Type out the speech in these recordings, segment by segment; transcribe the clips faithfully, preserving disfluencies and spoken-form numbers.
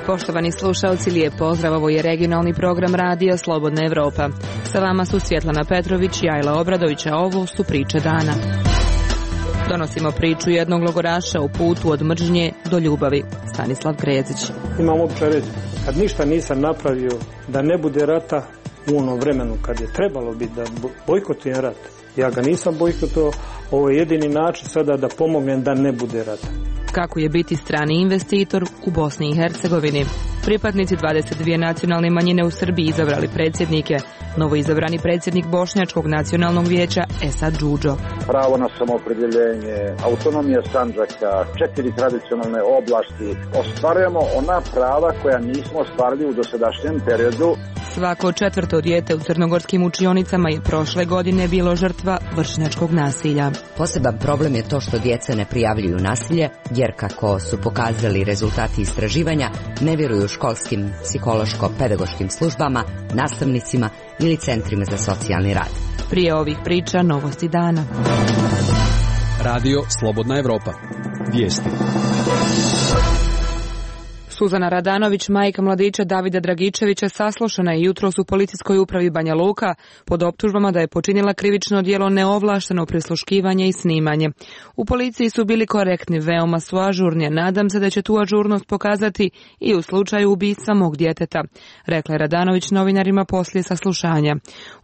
Poštovani slušalci, lijep pozdrav, ovo je regionalni program radija Slobodna Evropa. Sa vama su Svjetlana Petrović i Ajla Obradović, a ovo su priče dana. Donosimo priču jednog logoraša u putu od mržnje do ljubavi. Stanislav Krezić. Imam običaj reći, kad ništa nisam napravio da ne bude rata u onom vremenu kad je trebalo biti da bojkotujem rat, ja ga nisam bojkotovao, ovo je jedini način sada da pomognem da ne bude rata. Kako je biti strani investitor u Bosni i Hercegovini? Pripadnici dvadeset dvije nacionalne manjine u Srbiji izabrali predsjednike. Novoizabrani predsjednik Bošnjačkog nacionalnog vijeća Esad Džudžo. Pravo na samoopredjeljenje, autonomija Sandžaka, četiri tradicionalne oblasti. Ostvarujemo ona prava koja nismo ostvarili u dosadašnjem periodu. Svako četvrto dijete u crnogorskim učionicama je prošle godine bilo žrtva vršnjačkog nasilja. Poseban problem je to što djeca ne prijavljuju nasilje, jer kako su pokazali rezultati istraživanja, ne vjeruju školskim psihološko-pedagoškim službama, nastavnicima ili centrima za socijalni rad. Prije ovih priča novosti dana. Radio Slobodna Evropa. Vijesti. Suzana Radanović, majka mladića Davida Dragičevića, saslušana je jutros u policijskoj upravi Banja Luka pod optužbama da je počinila krivično djelo neovlašteno prisluškivanje i snimanje. U policiji su bili korektni, veoma su ažurni, nadam se da će tu ažurnost pokazati i u slučaju ubistva mog djeteta, rekla je Radanović novinarima poslije saslušanja.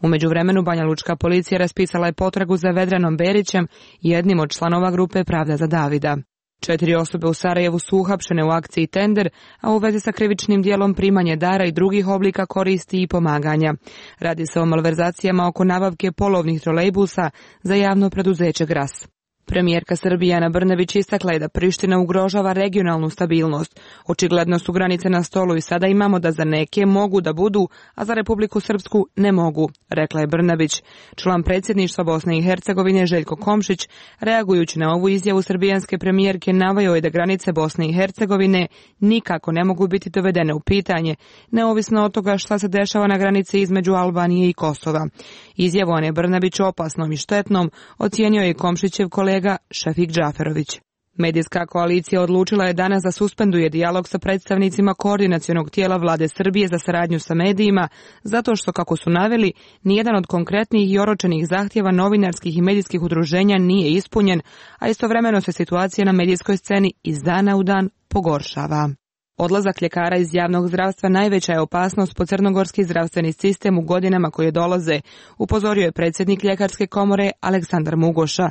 U međuvremenu Banja Lučka policija raspisala je potragu za Vedranom Berićem, jednim od članova grupe Pravda za Davida. Četiri osobe u Sarajevu su uhapšene u akciji Tender, a u vezi sa krivičnim dijelom primanje dara i drugih oblika koristi i pomaganja. Radi se o malverzacijama oko nabavke polovnih trolejbusa za javno preduzeće Gras. Premijerka Srbije Ana Brnabić istakla je da Priština ugrožava regionalnu stabilnost. Očigledno su granice na stolu i sada imamo da za neke mogu da budu, a za Republiku Srpsku ne mogu, rekla je Brnabić. Član predsjedništva Bosne i Hercegovine Željko Komšić, reagujući na ovu izjavu srbijanske premijerke, naveo je da granice Bosne i Hercegovine nikako ne mogu biti dovedene u pitanje, neovisno od toga šta se dešava na granici između Albanije i Kosova. Izjavu Ane Brnabić opasnom i štetnom ocijenio je Komšićev kolega Šefik Džaferović. Medijska koalicija odlučila je danas da suspenduje dijalog sa predstavnicima koordinacionog tijela vlade Srbije za saradnju sa medijima, zato što, kako su naveli, nijedan od konkretnih i oročenih zahtjeva novinarskih i medijskih udruženja nije ispunjen, a istovremeno se situacija na medijskoj sceni iz dana u dan pogoršava. Odlazak ljekara iz javnog zdravstva najveća je opasnost po crnogorski zdravstveni sistem u godinama koje dolaze, upozorio je predsjednik Ljekarske komore Aleksandar Mugoša.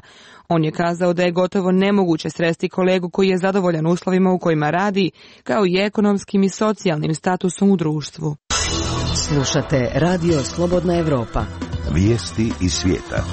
On je kazao da je gotovo nemoguće sresti kolegu koji je zadovoljan uslovima u kojima radi, kao i ekonomskim i socijalnim statusom u društvu. Slušate Radio Slobodna Evropa. Vijesti iz svijeta.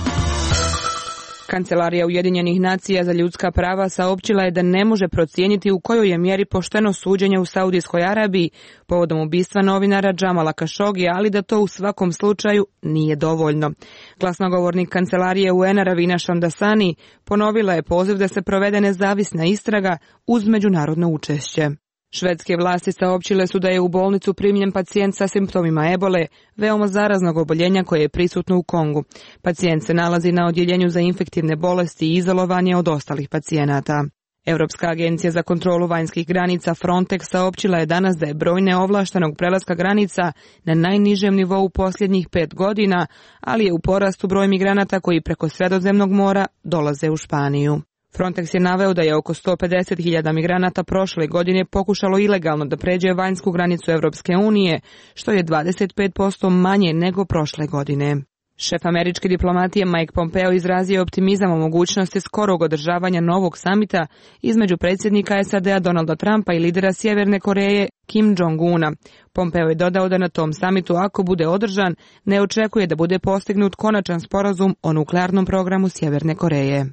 Kancelarija Ujedinjenih nacija za ljudska prava saopćila je da ne može procijeniti u kojoj je mjeri pošteno suđenje u Saudijskoj Arabiji povodom ubistva novinara Džamala Kašogija, ali da to u svakom slučaju nije dovoljno. Glasnogovornik Kancelarije U N-a Ravina Šamdasani ponovila je poziv da se provede nezavisna istraga uz međunarodno učešće. Švedske vlasti saopćile su da je u bolnicu primljen pacijent sa simptomima ebole, veoma zaraznog oboljenja koje je prisutno u Kongu. Pacijent se nalazi na odjeljenju za infektivne bolesti i izolovan je od ostalih pacijenata. Europska agencija za kontrolu vanjskih granica Frontex saopćila je danas da je broj neovlaštenog prelaska granica na najnižem nivou u posljednjih pet godina, ali je u porastu broj migranata koji preko Sredozemnog mora dolaze u Španiju. Frontex je naveo da je oko sto pedeset hiljada migranata prošle godine pokušalo ilegalno da pređe vanjsku granicu Europske unije, što je dvadeset pet posto manje nego prošle godine. Šef američke diplomatije Mike Pompeo izrazio optimizam o mogućnosti skorog održavanja novog samita između predsjednika S A D-a Donalda Trumpa i lidera Sjeverne Koreje Kim Jong-una. Pompeo je dodao da na tom samitu, ako bude održan, ne očekuje da bude postignut konačan sporazum o nuklearnom programu Sjeverne Koreje.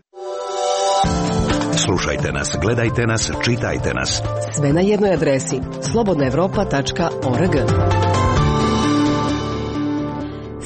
Slušajte nas, gledajte nas, čitajte nas. Sve na jednoj adresi slobodna evropa tačka org.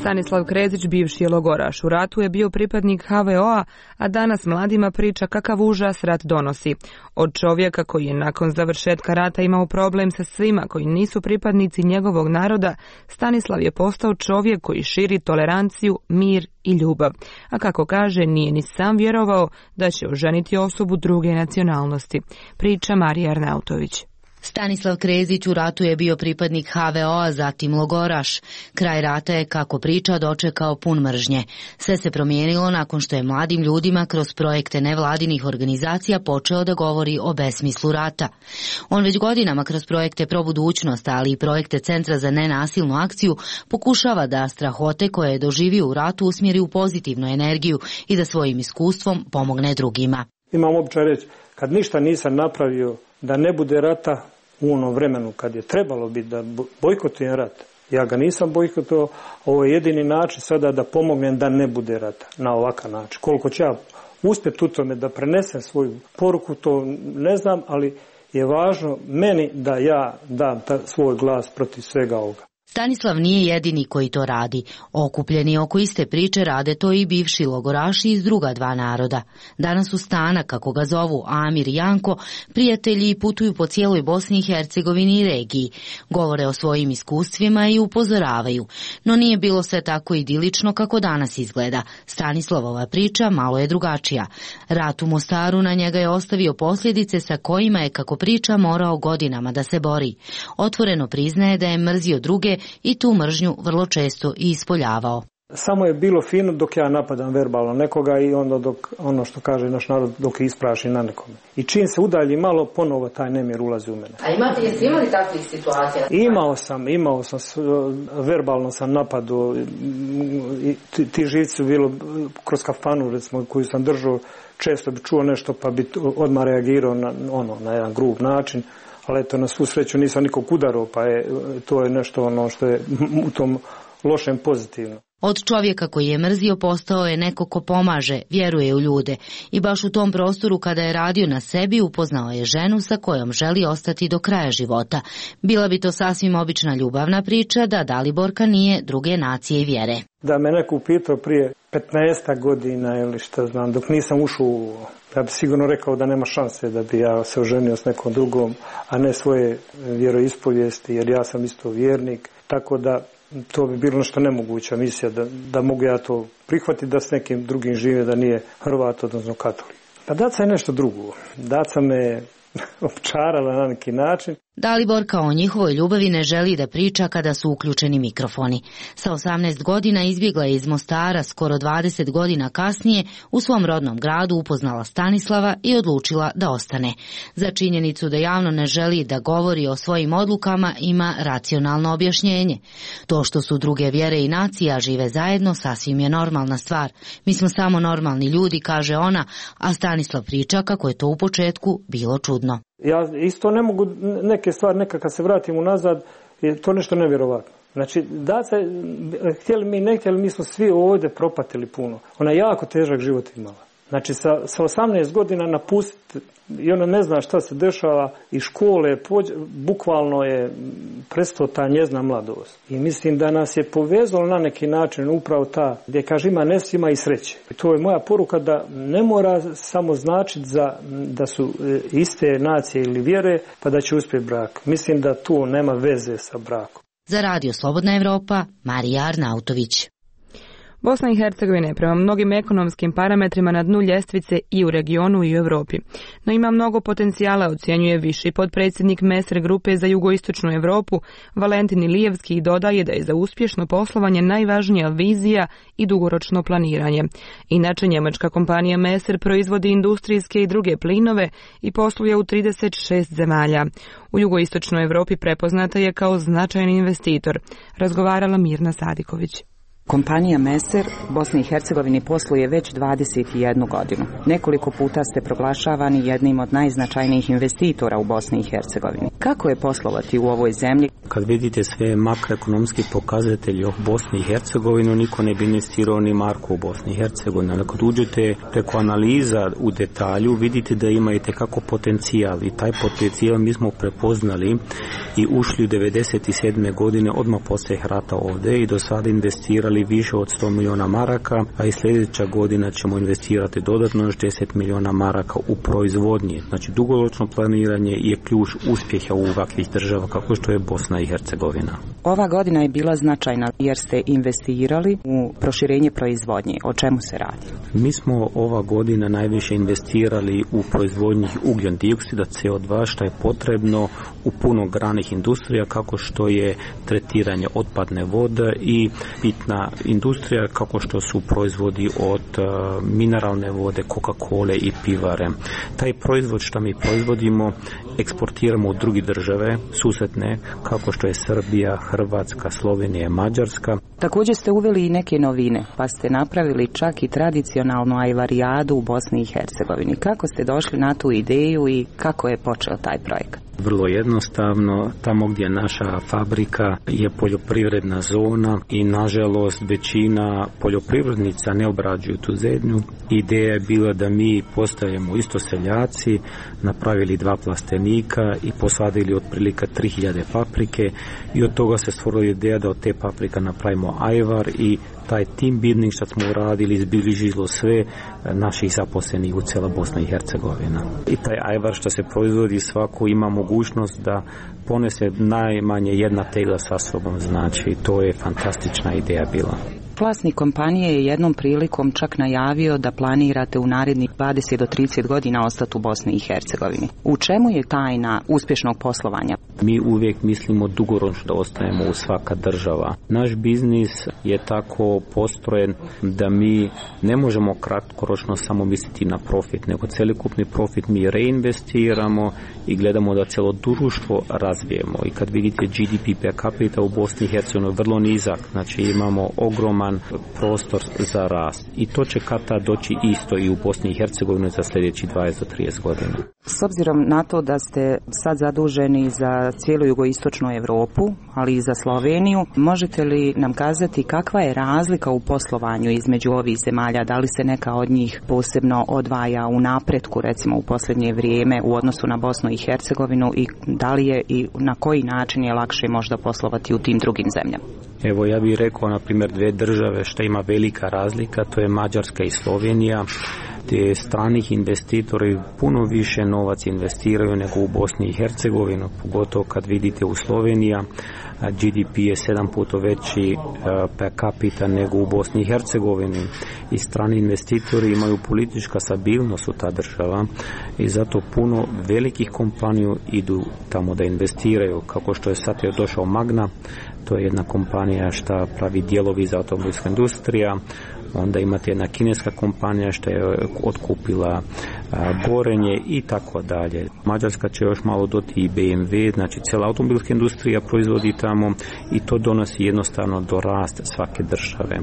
Stanislav Krezić, bivši je logoraš. U ratu je bio pripadnik ha ve o a, a danas mladima priča kakav užas rat donosi. Od čovjeka koji je nakon završetka rata imao problem sa svima koji nisu pripadnici njegovog naroda, Stanislav je postao čovjek koji širi toleranciju, mir i ljubav. A kako kaže, nije ni sam vjerovao da će oženiti osobu druge nacionalnosti. Priča Marija Arnautović. Stanislav Krezić u ratu je bio pripadnik ha ve o a, zatim logoraš. Kraj rata je, kako priča, dočekao pun mržnje. Sve se promijenilo nakon što je mladim ljudima kroz projekte nevladinih organizacija počeo da govori o besmislu rata. On već godinama kroz projekte Pro budućnost, ali i projekte Centra za nenasilnu akciju, pokušava da strahote koje je doživio u ratu usmjeri u pozitivnu energiju i da svojim iskustvom pomogne drugima. Imam običaj reći, kad ništa nisam napravio da ne bude rata u onom vremenu kad je trebalo biti da bojkotujem rat. Ja ga nisam bojkotovao, ovo je jedini način sada da pomognem da ne bude rata na ovakav način. Koliko ću ja uspjeti u tome da prenesem svoju poruku, to ne znam, ali je važno meni da ja dam ta, svoj glas protiv svega ovoga. Stanislav nije jedini koji to radi. Okupljeni oko iste priče rade to i bivši logoraši iz druga dva naroda. Danas su Stana, kako ga zovu Amir i Janko, prijatelji i putuju po cijeloj Bosni i Hercegovini i regiji. Govore o svojim iskustvima i upozoravaju. No nije bilo sve tako idilično kako danas izgleda. Stanislavova priča malo je drugačija. Rat u Mostaru na njega je ostavio posljedice sa kojima je, kako priča, morao godinama da se bori. Otvoreno priznaje da je mrzio druge i tu mržnju vrlo često i ispoljavao. Samo je bilo fino dok ja napadam verbalno nekoga i onda dok, ono što kaže naš narod, dok ispraši na nekome. I čim se udalji malo, ponovo taj nemir ulazi u mene. A imate, jeste imali takvih situacija? Imao sam, imao sam, verbalno sam napadu. Ti, ti živci su bilo kroz kafanu, recimo, koju sam držao, često bi čuo nešto pa bi odmah reagirao na, ono, na jedan grub način. Ali eto, na svu sreću nisam nikog udarao, pa je, to je nešto ono što je u tom lošem pozitivno. Od čovjeka koji je mrzio postao je neko ko pomaže, vjeruje u ljude. I baš u tom prostoru, kada je radio na sebi, upoznao je ženu sa kojom želi ostati do kraja života. Bila bi to sasvim obična ljubavna priča da Daliborka nije druge nacije i vjere. Da me neko upitao prije petnaest godina ili šta znam, dok nisam ušao, ja bi sigurno rekao da nema šanse da bi ja se oženio s nekom drugom, a ne svoje vjeroispovijesti, jer ja sam isto vjernik, tako da to bi bilo nešto nemoguća misija, da, da mogu ja to prihvatiti da s nekim drugim žive, da nije Hrvat, odnosno katolik. Pa Daca je nešto drugo. Daca me opčarala na neki način. Daliborka o njihovoj ljubavi ne želi da priča kada su uključeni mikrofoni. Sa osamnaest godina izbjegla je iz Mostara, skoro dvadeset godina kasnije u svom rodnom gradu upoznala Stanislava i odlučila da ostane. Za činjenicu da javno ne želi da govori o svojim odlukama ima racionalno objašnjenje. To što su druge vjere i nacija žive zajedno sasvim je normalna stvar. Mi smo samo normalni ljudi, kaže ona, a Stanislav priča kako je to u početku bilo čudno. Ja isto ne mogu neke stvari, neka kad se vratim unazad, je to nešto nevjerovatno. Znači, Daca, htjeli mi, ne htjeli, mi smo svi ovdje propatili puno. Ona je jako težak život imala. Znači, sa, sa osamnaest godina napustiti i ona ne zna šta se dešava i škole, pođe, bukvalno je prestao ta njezna mladost. I mislim da nas je povezalo na neki način upravo ta, gdje kaže ima nesima i sreće. I to je moja poruka da ne mora samo značiti za, da su iste nacije ili vjere pa da će uspjeti brak. Mislim da to nema veze sa brakom. Za Radio Slobodna Evropa, Marija Arnautović. Bosna i Hercegovina je prema mnogim ekonomskim parametrima na dnu ljestvice i u regionu i u Europi. No ima mnogo potencijala, ocjenjuje viši potpredsjednik Meser grupe za jugoistočnu Europu, Valentin Ilijevski, i dodaje da je za uspješno poslovanje najvažnija vizija i dugoročno planiranje. Inače, njemačka kompanija Meser proizvodi industrijske i druge plinove i posluje u trideset šest zemalja. U jugoistočnoj Europi prepoznata je kao značajan investitor, razgovarala Mirna Sadiković. Kompanija Meser Bosni i Hercegovini posluje već dvadeset jednu godinu. Nekoliko puta ste proglašavani jednim od najznačajnijih investitora u Bosni i Hercegovini. Kako je poslovati u ovoj zemlji? Kad vidite sve makroekonomski pokazatelji o Bosni i Hercegovini, niko ne bi investirao ni marku u Bosni i Hercegovini. Ali kad uđete preko analiza u detalju, vidite da ima i tekako potencijal. I taj potencijal mi smo prepoznali i ušli u devedeset sedme godine odmah poslije rata ovdje i do sada investirali investirali više od sto milijuna maraka, a i sljedeća godina ćemo investirati dodatno još deset milijuna maraka u proizvodnje. Znači dugoročno planiranje je ključ uspjeha u ovakvih država kako što je Bosna i Hercegovina. Ova godina je bila značajna jer ste investirali u proširenje proizvodnje. O čemu se radi? Mi smo ova godina najviše investirali u proizvodnji ugljen dioksida C O dva što je potrebno u puno granih industrija kako što je tretiranje otpadne vode i pitna industrija kako što su proizvodi od uh, mineralne vode, Coca-Cola i pivare. Taj proizvod što mi proizvodimo eksportiramo u druge države susjedne kako što je Srbija, Hrvatska, Slovenija, Mađarska. Također ste uveli i neke novine, pa ste napravili čak i tradicionalnu ajvarijadu u Bosni i Hercegovini. Kako ste došli na tu ideju i kako je počeo taj projekat? Vrlo jednostavno, tamo gdje je naša fabrika je poljoprivredna zona i nažalost većina poljoprivrednica ne obrađuju tu zemlju. Ideja je bila da mi postajemo isto seljaci, napravili dva plastenika i posadili otprilike tri hiljade paprike i od toga se stvorila ideja da od te paprika napravimo ajvar i taj team building što smo uradili izbližilo sve naših zaposlenih u cijela Bosna i Hercegovina. I taj ajvar što se proizvodi svako ima mogućnost da ponese najmanje jedna tegla sa sobom, znači to je fantastična ideja bila. Vlasnik kompanije je jednom prilikom čak najavio da planirate u narednih dvadeset do trideset godina ostati u Bosni i Hercegovini. U čemu je tajna uspješnog poslovanja? Mi uvijek mislimo dugoročno da ostajemo u svaka država. Naš biznis je tako postrojen da mi ne možemo kratkoročno samo misliti na profit, nego celokupni profit mi reinvestiramo i gledamo da cijelo društvo razvijemo. I kad vidite G D P per capita u Bosni i Hercegovini vrlo nizak, znači imamo ogroman prostor za rast. I to će kad tad doći isto i u Bosni i Hercegovini za sljedeći dvadeset do trideset godina. S obzirom na to da ste sad zaduženi za cijelu jugoistočnu Europu, ali i za Sloveniju, možete li nam kazati kakva je razlika u poslovanju između ovih zemalja? Da li se neka od njih posebno odvaja u napretku, recimo u posljednje vrijeme u odnosu na Bosnu i Hercegovinu i da li je i na koji način je lakše možda poslovati u tim drugim zemljama? Evo ja bih rekao na primjer dvije države što ima velika razlika, to je Mađarska i Slovenija, gdje stranih investitori puno više novac investiraju nego u Bosni i Hercegovinu, pogotovo kad vidite u Slovenija G D P je sedam puta veći per capita nego u Bosni i Hercegovini i strani investitori imaju politička stabilnost u ta država i zato puno velikih kompanija idu tamo da investiraju, kako što je sad je došao Magna, to je jedna kompanija što pravi dijelovi za automobilsku industriju. Onda imate jedna kineska kompanija što je otkupila a, gorenje i tako dalje. Mađarska će još malo doti i B M W, znači cijela automobilska industrija proizvodi tamo i to donosi jednostavno do rasta svake države.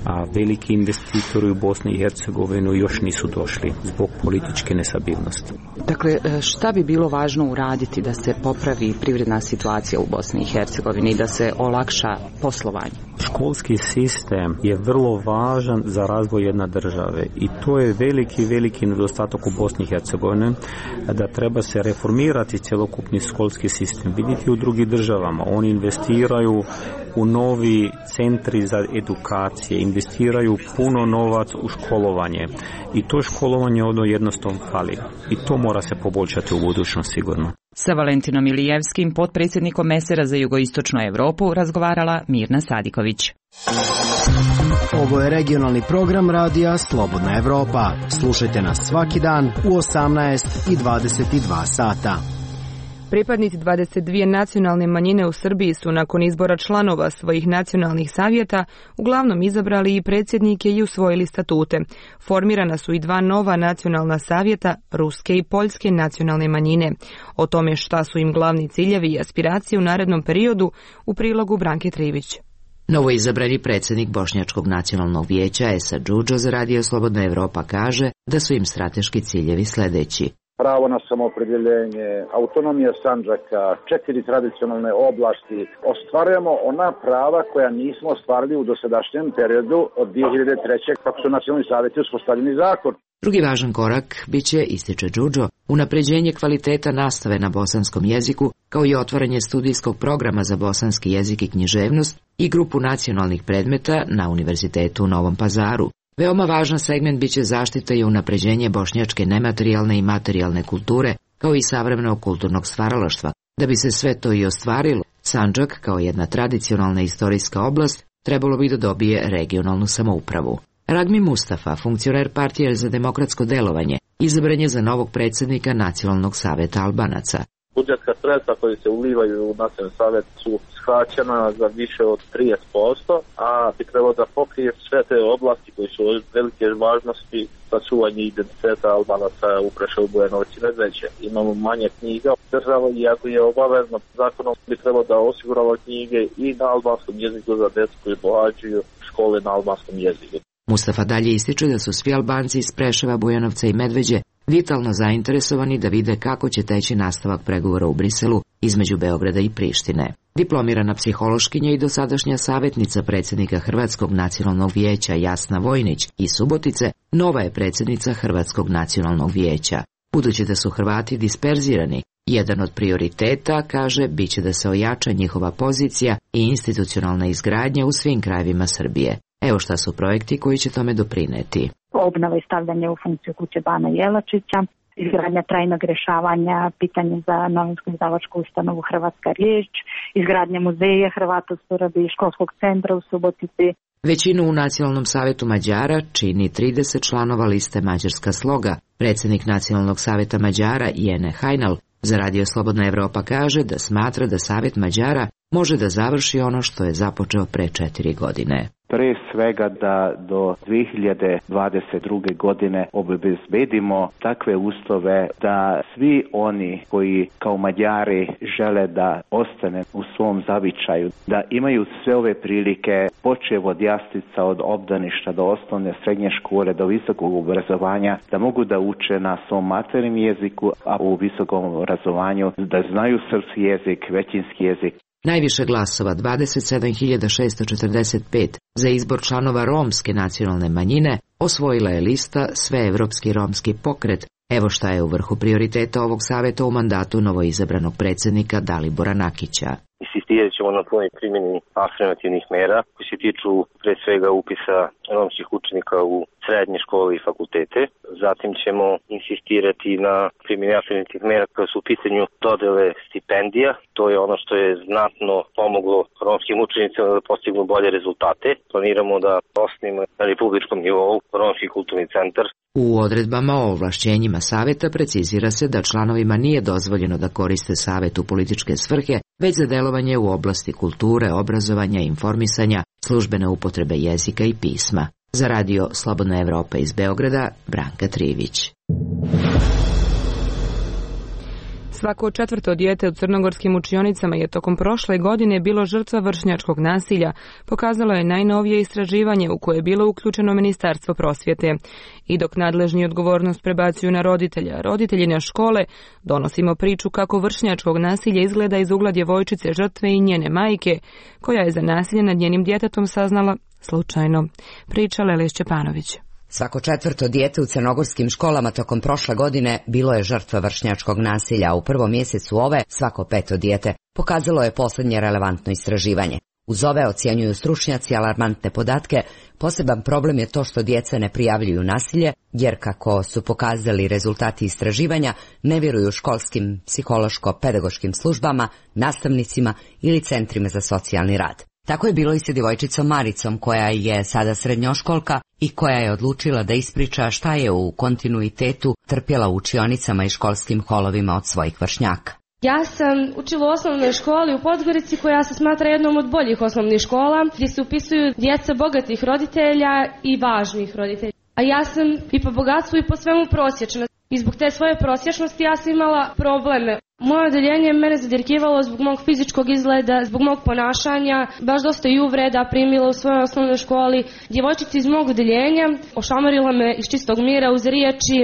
A veliki investitori u Bosni i Hercegovinu još nisu došli zbog političke nestabilnosti. Dakle, šta bi bilo važno uraditi da se popravi privredna situacija u Bosni i Hercegovini i da se olakša poslovanje? Školski sistem je vrlo važan za razvoj jedne države i to je veliki, veliki nedostatak u Bosni i Hercegovini, da treba se reformirati cjelokupni školski sistem. Vidite u drugim državama, oni investiraju u novi centri za edukacije, investiraju puno novac u školovanje i to školovanje ono jednostavno fali i to mora se poboljšati u budućnosti sigurno. Sa Valentinom Ilijevskim, potpredsjednikom Mesera za jugoistočnu Europu, razgovarala Mirna Sadiković. Ovo je regionalni program radija Slobodna Evropa. Slušajte nas svaki dan u osamnaest i dvadeset dva sata. Pripadnici dvadeset dvije nacionalne manjine u Srbiji su nakon izbora članova svojih nacionalnih savjeta uglavnom izabrali i predsjednike i usvojili statute. Formirana su i dva nova nacionalna savjeta, ruske i poljske nacionalne manjine. O tome šta su im glavni ciljevi i aspiracije u narednom periodu u prilogu Branke Trivić. Novoizabrani predsjednik Bošnjačkog nacionalnog vijeća Esad Džudžo za Radio Slobodna Evropa kaže da su im strateški ciljevi sljedeći. Pravo na samoopredjeljenje, autonomija Sandžaka, četiri tradicionalne oblasti. Ostvarujemo ona prava koja nismo ostvarili u dosadašnjem periodu od dvije hiljade treće. kako su nacionalni savjeti uspostavljeni zakon. Drugi važan korak biće, ističe Džudžo, unapređenje kvaliteta nastave na bosanskom jeziku kao i otvaranje studijskog programa za bosanski jezik i književnost i grupu nacionalnih predmeta na Univerzitetu u Novom Pazaru. Veoma važan segment biće zaštita i unapređenje bošnjačke nematerijalne i materijalne kulture, kao i savremenog kulturnog stvaralaštva. Da bi se sve to i ostvarilo, Sandžak, kao jedna tradicionalna istorijska oblast, trebalo bi da dobije regionalnu samoupravu. Ragmi Mustafa, funkcioner Partije za demokratsko delovanje, izabran je za novog predsjednika Nacionalnog saveta Albanaca. Budžetska sredstva koji se ulivaju u Nacionalni savjet su skraćena za više od trideset posto, a bi trebalo da pokrije sve te oblasti koji su od velike važnosti za čuvanje identiteta Albanaca u Preševu, Bujanovcu i Medveđi. Imamo manje knjiga. Država, iako je obavezno zakonom, bi trebalo da osigurava knjige i na albanskom jeziku za djecu koji pohađaju škole na albanskom jeziku. Mustafa dalje ističe da su svi Albanci iz Preševa, Bujanovca i Medveđe vitalno zainteresovani da vide kako će teći nastavak pregovora u Briselu između Beograda i Prištine. Diplomirana psihološkinja i dosadašnja savjetnica predsjednika Hrvatskog nacionalnog vijeća Jasna Vojnić iz Subotice nova je predsjednica Hrvatskog nacionalnog vijeća. Budući da su Hrvati disperzirani, jedan od prioriteta, kaže, biće da se ojača njihova pozicija i institucionalna izgradnja u svim krajevima Srbije. Evo šta su projekti koji će tome doprineti. Obnova i stavljanje u funkciju kuće Bana Jelačića, izgradnja trajnog rješavanja pitanja za novinsku izdavačku ustanovu Hrvatska riječ, izgradnja muzeja Hrvata u Surabi i školskog centra u Subotici. Većinu u Nacionalnom savjetu Mađara čini trideset članova liste Mađarska sloga. Predsjednik Nacionalnog savjeta Mađara Jene Hajnal za Radio Slobodna Evropa kaže da smatra da Savjet Mađara može da završi ono što je započeo pre četiri godine. Pre svega da do dve hiljade dvadeset druge godine obezbedimo takve uslove da svi oni koji kao Mađari žele da ostane u svom zavičaju, da imaju sve ove prilike, počev od jaslica, od obdaništa do osnovne, srednje škole, do visokog obrazovanja, da mogu da uče na svom maternjem jeziku, a u visokom obrazovanju da znaju srpski jezik, većinski jezik. Najviše glasova, dvadeset sedam hiljada šesto četrdeset pet, za izbor članova romske nacionalne manjine osvojila je lista Sveevropski romski pokret. Evo šta je u vrhu prioriteta ovog savjeta u mandatu novoizabranog predsjednika Dalibora Nakića. Insistirat ćemo na punoj primjeni afirmativnih mera koji se tiču pre svega upisa romskih učenika u srednje škole i fakultete. Zatim ćemo insistirati na primjeni afirmativnih mera koje su u pitanju dodele stipendija. To je ono što je znatno pomoglo romskim učenicima da postignu bolje rezultate. Planiramo da osnimo na republičkom nivou romski kulturni centar. U odredbama o ovlašćenjima savjeta precizira se da članovima nije dozvoljeno da koriste savjet u političke svrhe, već za delovanje u oblasti kulture, obrazovanja i informisanja, službene upotrebe jezika i pisma. Za Radio Slobodna Evropa iz Beograda, Branka Trivić. Svako četvrto dijete u crnogorskim učionicama je tokom prošle godine bilo žrtva vršnjačkog nasilja, pokazalo je najnovije istraživanje u koje je bilo uključeno Ministarstvo prosvjete. I dok nadležni odgovornost prebacuju na roditelja, roditelji na škole, donosimo priču kako vršnjačkog nasilja izgleda iz ugla djevojčice žrtve i njene majke, koja je za nasilje nad njenim djetetom saznala slučajno. Priča Lelija Šćepanović. Svako četvrto dijete u crnogorskim školama tokom prošle godine bilo je žrtva vršnjačkog nasilja, a u prvom mjesecu ove svako peto dijete, pokazalo je posljednje relevantno istraživanje. Uz ove ocjenjuju stručnjaci alarmantne podatke, poseban problem je to što djeca ne prijavljuju nasilje, jer kako su pokazali rezultati istraživanja, ne vjeruju školskim psihološko-pedagoškim službama, nastavnicima ili centrima za socijalni rad. Tako je bilo i sa djevojčicom Maricom, koja je sada srednjoškolka i koja je odlučila da ispriča šta je u kontinuitetu trpjela u učionicama i školskim holovima od svojih vršnjaka. Ja sam učila u osnovnoj školi u Podgorici, koja se smatra jednom od boljih osnovnih škola, gdje se upisuju djeca bogatih roditelja i važnih roditelja. A ja sam i po bogatstvu i po svemu prosječna. I zbog te svoje prosječnosti ja sam imala probleme. Moje odeljenje mene zadirkivalo zbog mog fizičkog izgleda, zbog mog ponašanja, baš dosta i uvreda primila u svojoj osnovnoj školi. Djevojčica iz mog odeljenja ošamarila me iz čistog mira uz riječi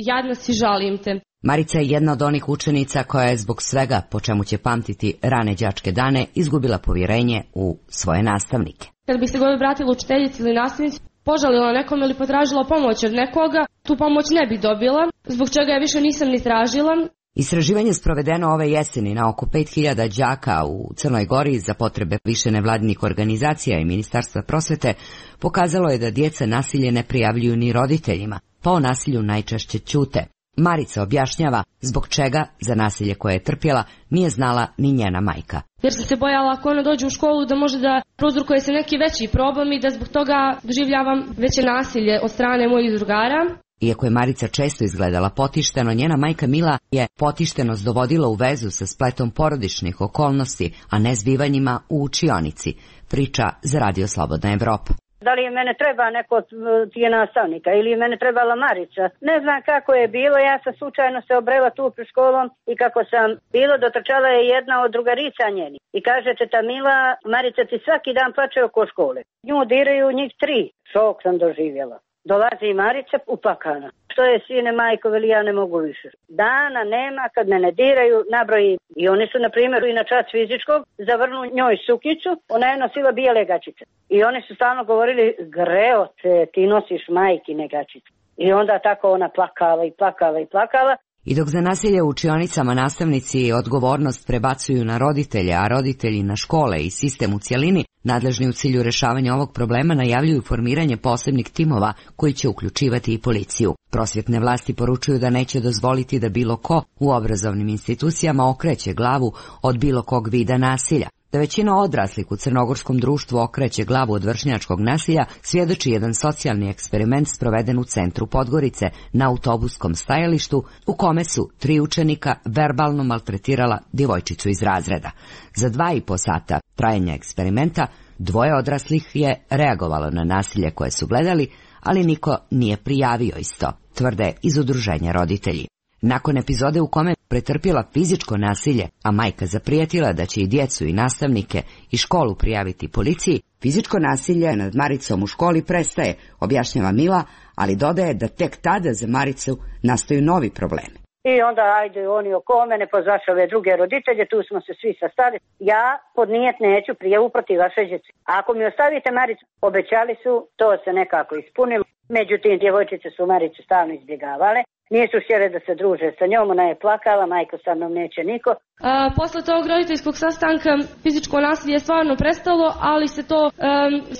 "jadna si, žalim te". Marica je jedna od onih učenica koja je zbog svega, po čemu će pamtiti rane đačke dane, izgubila povjerenje u svoje nastavnike. Kad bih se god obratila učiteljici ili nastavnici, požalila nekom ili potražila pomoć od nekoga, tu pomoć ne bi dobila, zbog čega ja više nisam ni tražila. Istraživanje sprovedeno ove jeseni na oko pet hiljada đaka u Crnoj Gori za potrebe više nevladinih organizacija i Ministarstva prosvete pokazalo je da djeca nasilje ne prijavljuju ni roditeljima, pa o nasilju najčešće ćute. Marica objašnjava zbog čega za nasilje koje je trpjela nije znala ni njena majka. Jer sam se bojala ako ona dođe u školu da može da prouzrokuje se neki veći problem i da zbog toga doživljavam veće nasilje od strane mojih drugara. Iako je Marica često izgledala potišteno, njena majka Mila je potištenost dovodila u vezu sa spletom porodičnih okolnosti, a ne zbivanjima u učionici, priča za Radio Slobodna Evropa. Da li je mene treba neko od tije nastavnika ili je mene trebala Marica. Ne znam kako je bilo, ja sam slučajno se obrela tu pred školom i kako sam bilo, dotrčala je jedna od drugarica njeni. I kaže teta Mila, Marica ti svaki dan plače oko škole. Nju diraju njih tri. Šok sam doživjela. Dolazi i Marica uplakana. Što je sine majko, veli ja ne mogu više. Dana nema kad me ne diraju, nabroji. I oni su, na primjer, i na čas fizičkog zavrnu njoj sukicu, ona je nosila bijele gačice. I oni su stalno govorili, greo te, ti nosiš majkine gačice. I onda tako ona plakala i plakala i plakala. I dok za nasilje u učionicama nastavnici odgovornost prebacuju na roditelje, a roditelji na škole i sistem u cjelini, nadležni u cilju rješavanja ovog problema najavljuju formiranje posebnih timova koji će uključivati i policiju. Prosvjetne vlasti poručuju da neće dozvoliti da bilo ko u obrazovnim institucijama okreće glavu od bilo kog vida nasilja. Da većina odraslih u crnogorskom društvu okreće glavu od vršnjačkog nasilja svjedoči jedan socijalni eksperiment sproveden u centru Podgorice na autobuskom stajalištu u kome su tri učenika verbalno maltretirala djevojčicu iz razreda. Za dva i po sata trajanja eksperimenta dvoje odraslih je reagovalo na nasilje koje su gledali, ali niko nije prijavio isto, tvrde iz udruženja roditelji. Nakon epizode u kome pretrpjela fizičko nasilje, a majka zaprijetila da će i djecu i nastavnike i školu prijaviti policiji, fizičko nasilje nad Maricom u školi prestaje, objašnjava Mila, ali dodaje da tek tada za Maricu nastaju novi problemi. I onda ajde oni oko mene, pozvaš ove druge roditelje, tu smo se svi sastali. Ja podnijet neću prijavu protiv vaše djece. Ako mi ostavite Maricu, obećali su, to se nekako ispunilo. Međutim, djevojčice su Maricu stalno izbjegavale. Nisu htjele da se druže sa njom, ona je plakala, majko sa mnom neće niko. A, posle tog roditeljskog sastanka fizičko nasilje je stvarno prestalo, ali se to um,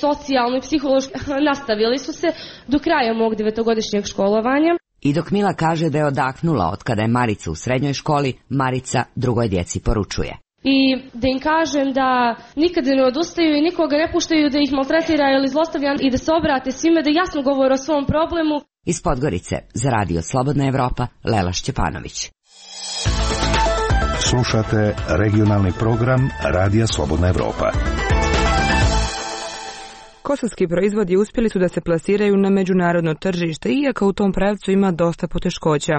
socijalno i psihološki nastavili su se do kraja mog devetogodišnjeg školovanja. I dok Mila kaže da je odahnula od kada je Marica u srednjoj školi, Marica drugoj djeci poručuje. I da im kažem da nikada ne odustaju i nikoga ne puštaju da ih maltretira ili zlostavlja i da se obrate svime, da jasno govore o svom problemu. Iz Podgorice za Radio Slobodna Evropa, Lela Šćepanović. Slušate regionalni program Radija Slobodna Evropa. Kosovski proizvodi uspjeli su da se plasiraju na međunarodno tržište, iako u tom pravcu ima dosta poteškoća.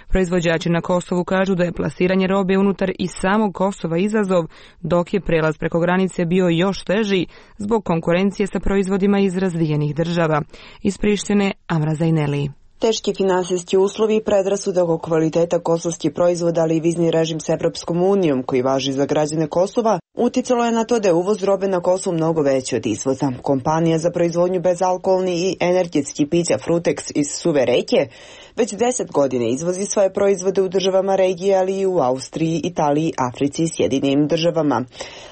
Proizvođači na Kosovu kažu da je plasiranje robe unutar i samog Kosova izazov, dok je prelaz preko granice bio još teži zbog konkurencije sa proizvodima iz razvijenih država. Iz Prištine, Amra Zajneli. Teški finansijski uslovi, predrasude oko kvaliteta kosovskih proizvoda, ali i vizni režim s Evropskom unijom koji važi za građane Kosova, uticalo je na to da je uvoz robe na Kosovu mnogo veći od izvoza. Kompanija za proizvodnju bezalkoholni i energetski pića Frutex iz Suve Reke već deset godina izvozi svoje proizvode u državama regije, ali i u Austriji, Italiji, Africi i Sjedinjenim državama.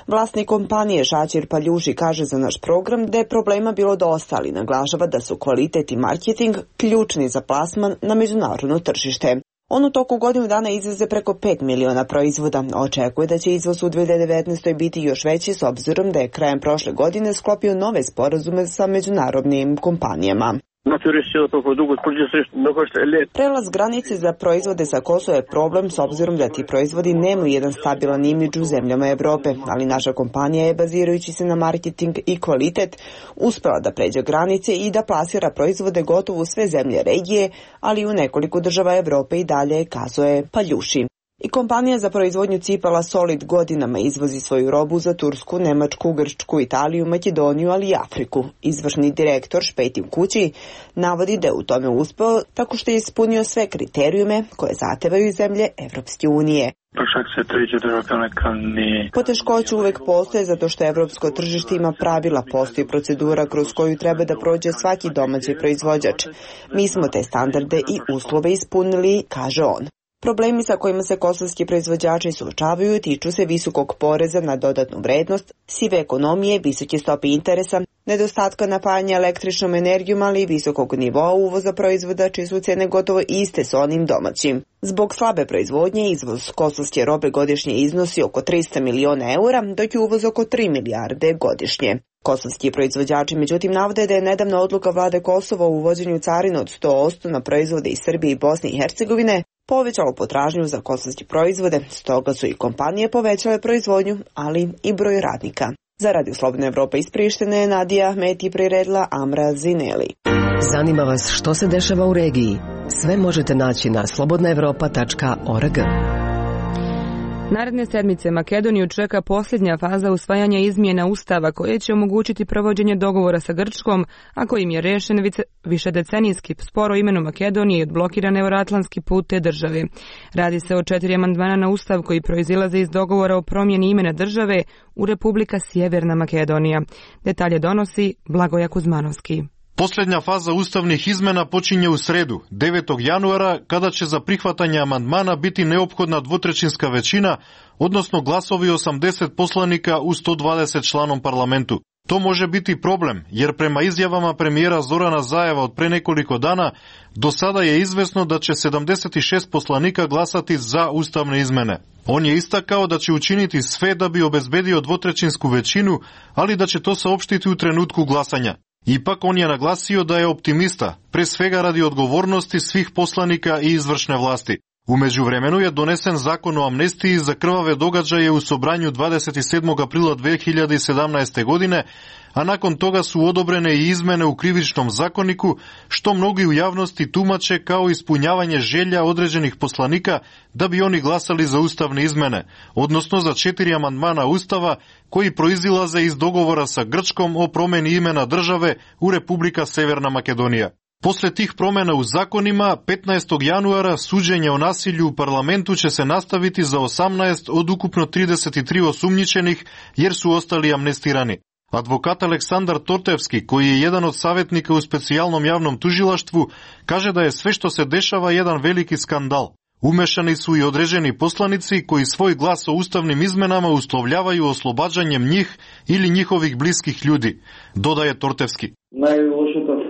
Vlasnik kompanije Šačir Paljuši kaže za naš program da je problema bilo dosta, ali naglašava da su kvalitet i marketing ključni za plasman na međunarodno tržište. On u toku godinu dana izveze preko pet miliona proizvoda. Očekuje da će izvoz u dvije hiljade devetnaestoj biti još veći s obzirom da je krajem prošle godine sklopio nove sporazume sa međunarodnim kompanijama. Prelaz granice za proizvode sa Kosova je problem s obzirom da ti proizvodi nemaju jedan stabilan imidž u zemljama Evrope, ali naša kompanija je, bazirajući se na marketing i kvalitet, uspela da pređe granice i da plasira proizvode gotovo u sve zemlje regije, ali i u nekoliko država Evrope i dalje, kazuje Paljuši. I kompanija za proizvodnju cipala Solid godinama izvozi svoju robu za Tursku, Nemačku, Grčku, Italiju, Makedoniju, ali i Afriku. Izvršni direktor Špetim Kući navodi da je u tome uspeo tako što je ispunio sve kriterijume koje zahtevaju zemlje Evropske unije. Poteškoće uvek postoje zato što evropsko tržište ima pravila, postoji procedura kroz koju treba da prođe svaki domaći proizvođač. Mi smo te standarde i uslove ispunili, kaže on. Problemi sa kojima se kosovski proizvođači suočavaju tiču se visokog poreza na dodatnu vrednost, sive ekonomije, visoke stope interesa, nedostatka napajanja električnom energijom, ali i visokog nivoa uvoza proizvoda čije su cene gotovo iste s onim domaćim. Zbog slabe proizvodnje, izvoz kosovske robe godišnje iznosi oko trista miliona eura, dok je uvoz oko tri milijarde godišnje. Kosovski proizvođači međutim navode da je nedavna odluka vlade Kosova o uvođenju carina od sto posto na proizvode iz Srbije i Bosne i Hercegovine povećalo potražnju za kosovske proizvode, stoga su i kompanije povećale proizvodnju, ali i broj radnika. Za Radio Slobodna Evropa iz Prištine, Nadija Ahmeti priredila Amra Zineli. Zanima vas što se dešava u regiji? Sve možete naći na slobodna evropa tačka org. Naredne sedmice Makedoniju čeka posljednja faza usvajanja izmjena Ustava koje će omogućiti provođenje dogovora sa Grčkom, a kojim je rešen višedecenijski spor o imenu Makedonije i odblokiran euroatlantski put te države. Radi se o četiri amandmana na Ustav koji proizilaze iz dogovora o promjeni imena države u Republika Sjeverna Makedonija. Detalje donosi Blagoja Kuzmanovski. Posljednja faza ustavnih izmena počinje u sredu, devetog januara, kada će za prihvatanje amandmana biti neophodna dvotrećinska većina, odnosno glasovi osamdeset poslanika u sto dvadeset članom parlamentu. To može biti problem, jer prema izjavama premijera Zorana Zajeva od pre nekoliko dana, do sada je izvesno da će sedamdeset šest poslanika glasati za ustavne izmene. On je istakao da će učiniti sve da bi obezbedio dvotrećinsku većinu, ali da će to saopštiti u trenutku glasanja. Ipak on je naglasio da je optimista, pre svega radi odgovornosti svih poslanika i izvršne vlasti. U međuvremenu je donesen zakon o amnestiji za krvave događaje u Sobranju dvadeset sedmog aprila dve hiljade sedamnaeste. godine, a nakon toga su odobrene i izmene u krivičnom zakoniku, što mnogi u javnosti tumače kao ispunjavanje želja određenih poslanika da bi oni glasali za ustavne izmene, odnosno za četiri amandmana Ustava koji proizilaze iz dogovora sa Grčkom o promjeni imena države u Republika Severna Makedonija. Posle tih promjena u zakonima, petnaestog januara suđenje o nasilju u parlamentu će se nastaviti za osamnaest od ukupno trideset tri osumnjičenih, jer su ostali amnestirani. Advokat Aleksandar Tortevski, koji je jedan od savjetnika u specijalnom javnom tužilaštvu, kaže da je sve što se dešava jedan veliki skandal. Umešani su i određeni poslanici koji svoj glas o ustavnim izmenama uslovljavaju oslobađanjem njih ili njihovih bliskih ljudi, dodaje Tortevski. Najlošija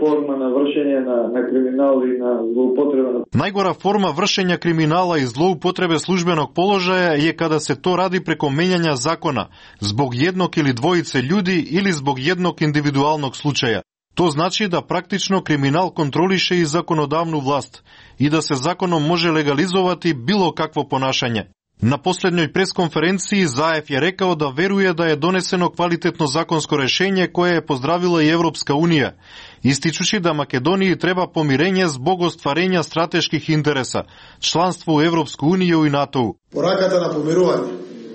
forma na vršenje na, na kriminal i na zloupotrebe. Najgora forma vršenja kriminala i zloupotrebe službenog položaja je kada se to radi preko menjanja zakona, zbog jednog ili dvojice ljudi ili zbog jednog individualnog slučaja. To znači da praktično kriminal kontroliše i zakonodavnu vlast i da se zakonom može legalizovati bilo kakvo ponašanje. Na posljednjoj preskonferenciji Zajev je rekao da veruje da je doneseno kvalitetno zakonsko rešenje koje je pozdravila i Evropska unija, ističući da Makedoniji treba pomirenje zbog ostvarenja strateških interesa, članstvo u Evropsku uniju i NATO-u. Porаката на помирување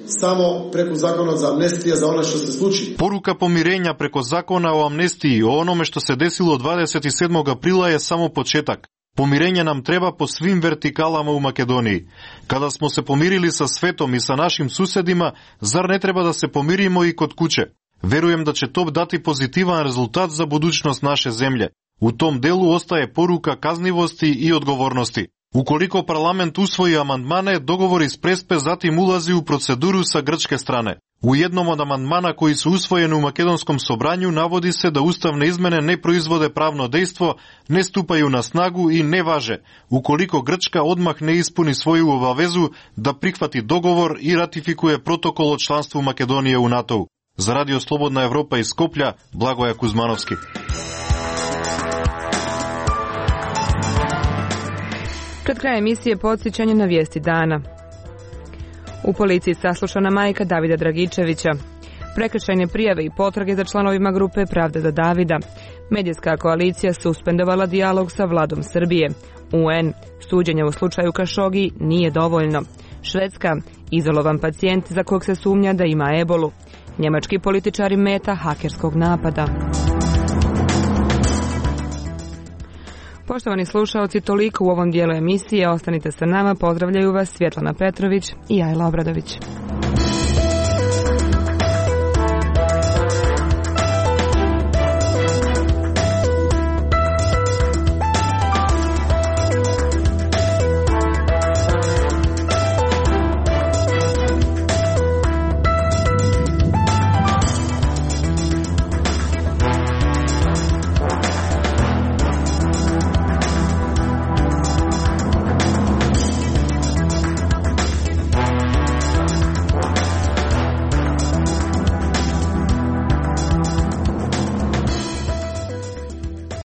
samo preko zakona za amnestija za ono što se sluči. Poruka pomirenja preko zakona o amnestiji o onome što se desilo dvadeset sedmog aprila je samo početak. Pomirenje nam treba po svim vertikalama u Makedoniji. Kada smo se pomirili sa svetom i sa našim susedima, zar ne treba da se pomirimo i kod kuće? Verujem da će to dati pozitivan rezultat za budućnost naše zemlje. U tom delu ostaje poruka kaznivosti i odgovornosti. Ukoliko parlament usvoji amandmane, dogovor iz Prespe zatim ulazi u proceduru sa grčke strane. U jednom od amandmana koji su usvojeni u makedonskom sobranju navodi se da ustavne izmene ne proizvode pravno dejstvo, ne stupaju na snagu i ne važe, ukoliko Grčka odmah ne ispuni svoju obavezu da prihvati dogovor i ratifikuje protokol o članstvu Makedonije u NATO-u. Za Radio Slobodna Evropa iz Skoplja, Blagoja Kuzmanovski. Pred krajem emisije podsjećanje na vijesti dana. U policiji saslušana majka Davida Dragičevića. Prekršajne prijave i potrage za članovima grupe Pravda za Davida. Medijska koalicija suspendovala dijalog sa vladom Srbije. U en. Suđenje u slučaju Kašogi nije dovoljno. Švedska. Izolovan pacijent za kog se sumnja da ima ebolu. Njemački političari meta hakerskog napada. Poštovani slušaoci, toliko u ovom dijelu emisije. Ostanite sa nama. Pozdravljaju vas Svjetlana Petrović i Ajla Obradović.